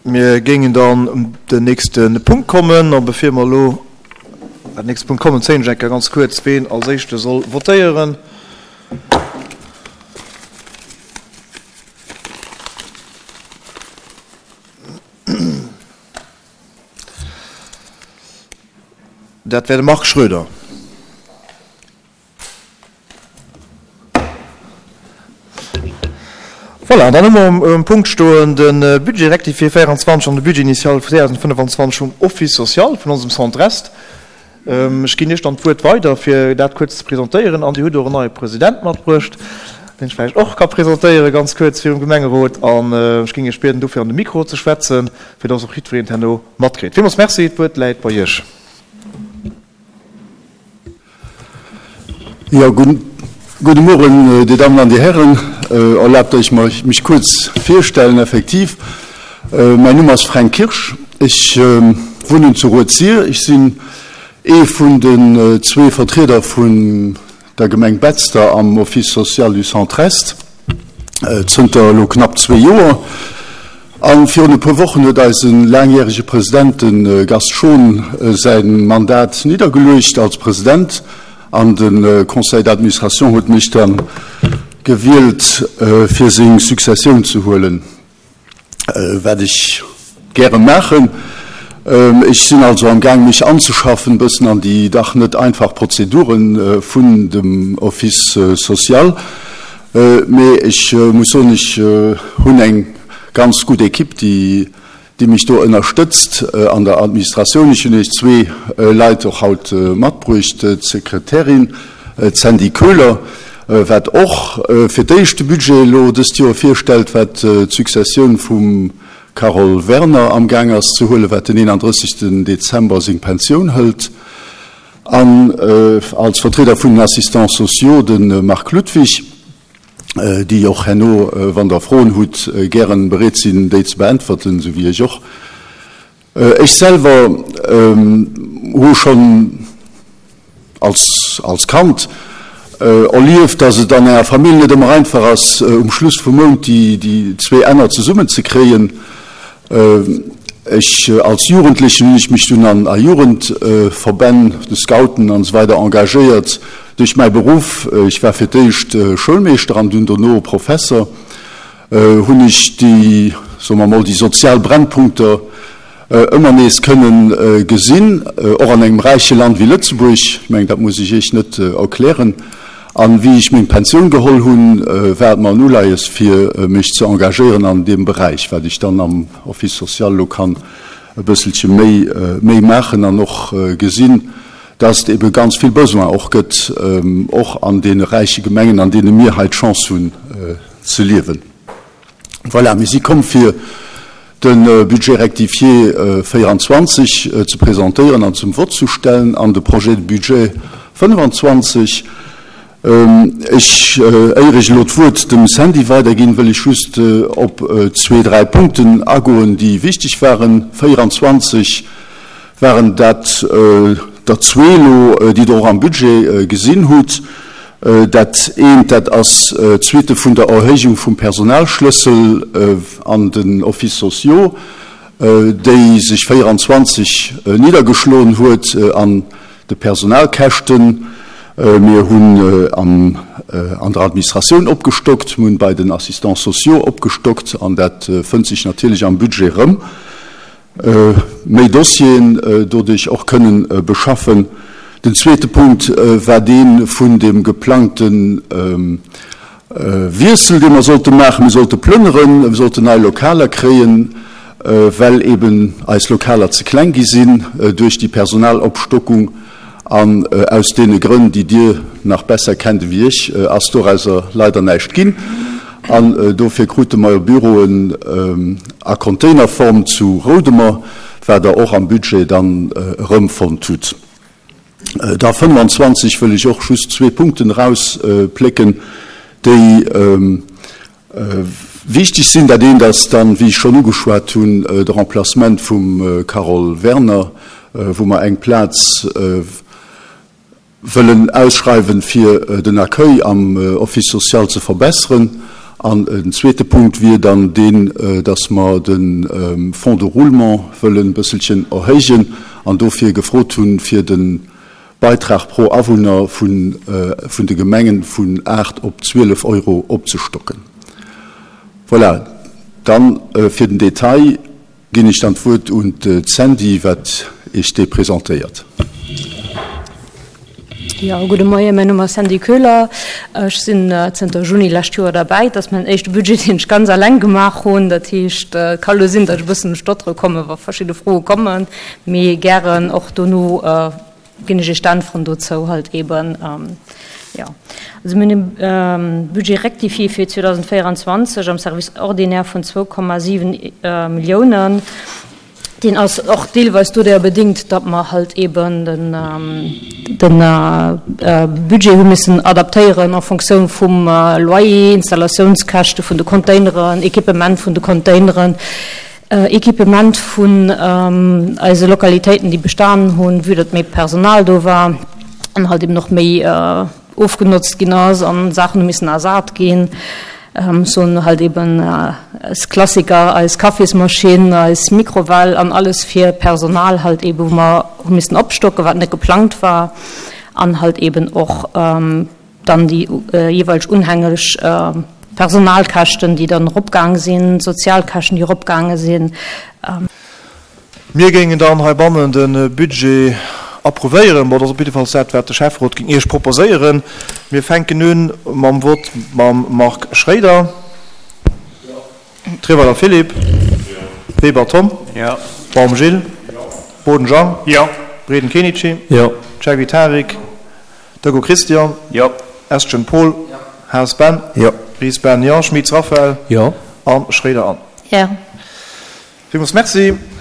Mir géingen dann un den nächste Punkt kommen. A bevir mer elo an den nächste Punkt kommen, zéien ech eng Kéier ganz kuerz, ween als Éischte soll votéieren. Dat wär de Marc Schroeder. Voilà, an dann hu mer um Punkt stoen de Budget rectifié 24 an de Budget initial 2025 vum Office social vun onsem Centre Est. Ech ginn Iech dann d'Wuert weider, fir dat kuerz ze presentéieren. An Dir hutt och en neie President matbruecht, deen ech vläicht och ka presentéieren, ganz kuerz virum Gemengerot. An ech géing Iech bieden, dofir an de Mikro ze schwätzen, fir dass och jiddwereen et herno matkritt. Villmools Merci, d'Wuert läit bei Iech. Jo, gudde Mueren, Dir Dammen an Dir Hären. Erlaabt Iech mer, mech kuerz virstellen. Effektiv, mäin Numm ass Fränk Kirsch. Ech wunnen zu Rued-Sir. Ech sinn ee vun den zwee Vertrieder vun der Gemeng Betzder am Office social du Centre-Est zënter elo knapp zwee Joer. A virun e puer Wochen huet eise laangjärege President, de Gast Schon, säi Mandat niddergeluecht als President an de Conseil d'administration huet mech da gewielt, fir seng Successioun ze huelen. Wat ech gäre maachen. Ech sinn also am Gaang mech anzeschaffen e bëssen an déi dach net einfach Prozedure vun dem Office social. Mee ech muss soen, ech hunn eng ganz gutt Equipe, déi déi mech do ënnerstëtzt an der Administratioun. Ech hunn Iech zwee Leit och haut matbruecht, d'Sekretärin, d'Sandy Köhler, wat och fir d'éischt de Budget elo dëst Joer virstellt, wat d'Successioun vum Carole Werner amgaang ass ze huelen, wat den 31. Dezember seng Pensioun hëlt, an als Vertrieder vun den Assistants sociaux de Marc Ludwig, déi och herno, wann Der Froen hutt, gären bereet sinn, déi ze beäntwerten, esou wéi ech och. Ech selwer hu schonn als als Kand erlieft, dass et an enger Famill net ëmmer einfach ass, um Schluss vum Mount déi déi zwee Enner zesummen ze kréien. Ech als Jugendlechen hunn ech mech dunn an a Jugendverbänn, de Scouten an esou weider engagéiert. Duerch mäi Beruff, ech war fir d'éischt Schoulmeeschter an dunn dono Professer, hunn ech déi, soe mer mol, déi sozial Brennpunkter ëmmer nees kënnen gesinn, och an engem räiche Land wéi Lëtzebuerg. Ech mengen, dat muss ech Iech net erklären. An wéi ech meng Pensioun geholl hunn, war et mer en Uleies, fir mech ze engagéieren an deem Beräich, wat ech dann am Office social elo kann e bësselche méi, méi maachen an och gesinn, dass et ebe ganz vill Besoin och gëtt, och an deene räiche Gemengen, an deene mir hei d'Chance hunn ze liewen. Voilà, mir si komm fir de Budget rectifié 24 ze presentéieren an zum Vott zu stellen an de Projet de budget 25. Ech, éier ech elo d'Wuert dem Sandy weiderginn, wëll ech just op zwee, dräi Punkten agoen, déi wichteg waren. 24 waren dat der zwee elo, déi Der och am Budget gesinn hutt. Dat eent, dat ass d'Suite vun der Erhéijung vum Personalschlëssel an den Offices sociaux, déi sech 24 niddergeschloen huet an de Personalkäschten. Mir hunn an der Administratioun opgestockt, mir hunn bei den Assistants sociaux opgestockt an dat fënnt sech natierlech am Budget erëm. Méi Dossieren doduerch och kënnen beschaffen. Den zweete Punkt war dee vun dem geplangte Wiessel, dee mer sollte maachen. Mir sollte plënneren, mir sollten nei Lokaler kréien, well eben eis Lokaler ze kleng gi sinn duerch déi Personalopstockung. An aus deene Grënn, déi Dir nach besser kennt ewéi ech, ass dorauser leider näischt ginn. An dofir krute mer jo Büroen a Containerform zu Roudemer, wat Der och am Budget dann erëmfonnt hutt. Da 25 wëll ech och just zwee Punkten erausplécken, déi wichteg sinn. Dat eent ass dann, wéi ech schonn ugeschwat hunn, de Remplacement vum Carole Werner, wou mer eng Plaz wëllen ausschreiwen, fir den Accueil am Office social ze verbesseren. An den zweete Punkt wier dann deen, dass mer de Fonds de roulement wëllen e bësselchen erhéijen an dofir gefrot hunn, fir de Beitrag pro Awunner vun de Gemengen vun 8 op 12 Euro opzestocken. Voilà, dann fir den Detail ginn ech dann d'Wuert un d'Sandy, wat Iech dee presentéiert. Jo, gudde Moien, mäin Numm ass Sandy Köhler. Ech sinn zënter Juni lescht Joer derbäi. Et ass mäin éischte Budget, deen ech ganz alleng gemaach hunn. Dat heescht, et ka lo sinn, datt ech e bëssen un d'Stottere kommen, wa verschidde Froe kommen. Mee gären och dono ginn ech Iech d'Äntweren dozou halt eeben. Jo, also mir hunn e Budget rectifié fir 2024 am Service ordinaire vun 2,7 Milliounen. Deen ass och deelweis doduerjer bedéngt, datt mer halt eeben de Budget hu missen adaptéieren en Fonctioun vum Loyer, Installatiounskäschte vun de Containeren, Equipement vun de Containeren, Equipement vun eise Lokalitéiten, déi bestanen hunn, vue datt méi Personal do war an halt eben och méi ofgenotzt ginn ass an Saachen hu missen ersat ginn. Soen halt eben eis Klassiker, eis Kaffismaschinn, eis Mikrowell an alles fir Personal halt eben, wou mer hu missen opstocken, wat net geplangt war an halt eben och dann déi jeeweileg unhängeg Personalkäschten, déi dann eropgaang sinn, d'Sozialkäschten, déi eropgaange sinn. Mir géingen dann heibannen de Budget approuvéieren. Bon, dat ass op jiddefalls dat, wat de Schäfferot géing Iech proposéieren. Mir fänken u mam Vott mam Marc Schréider. Jo. Treweiler Philippe. Jo. Weber Tom. Jo. Baum Gilles. Jo. Boden Jean. Jo. Breden Kenichi. Jo. Ceghvi Tarik. Jo. Deco Christian. Jo. Estgen Paul. Jo. Haas Ben. Jo. Ries Ben. Jo. Schmitz Raphaël. Jo. A Schréider Anne. Jo. Villmools Merci.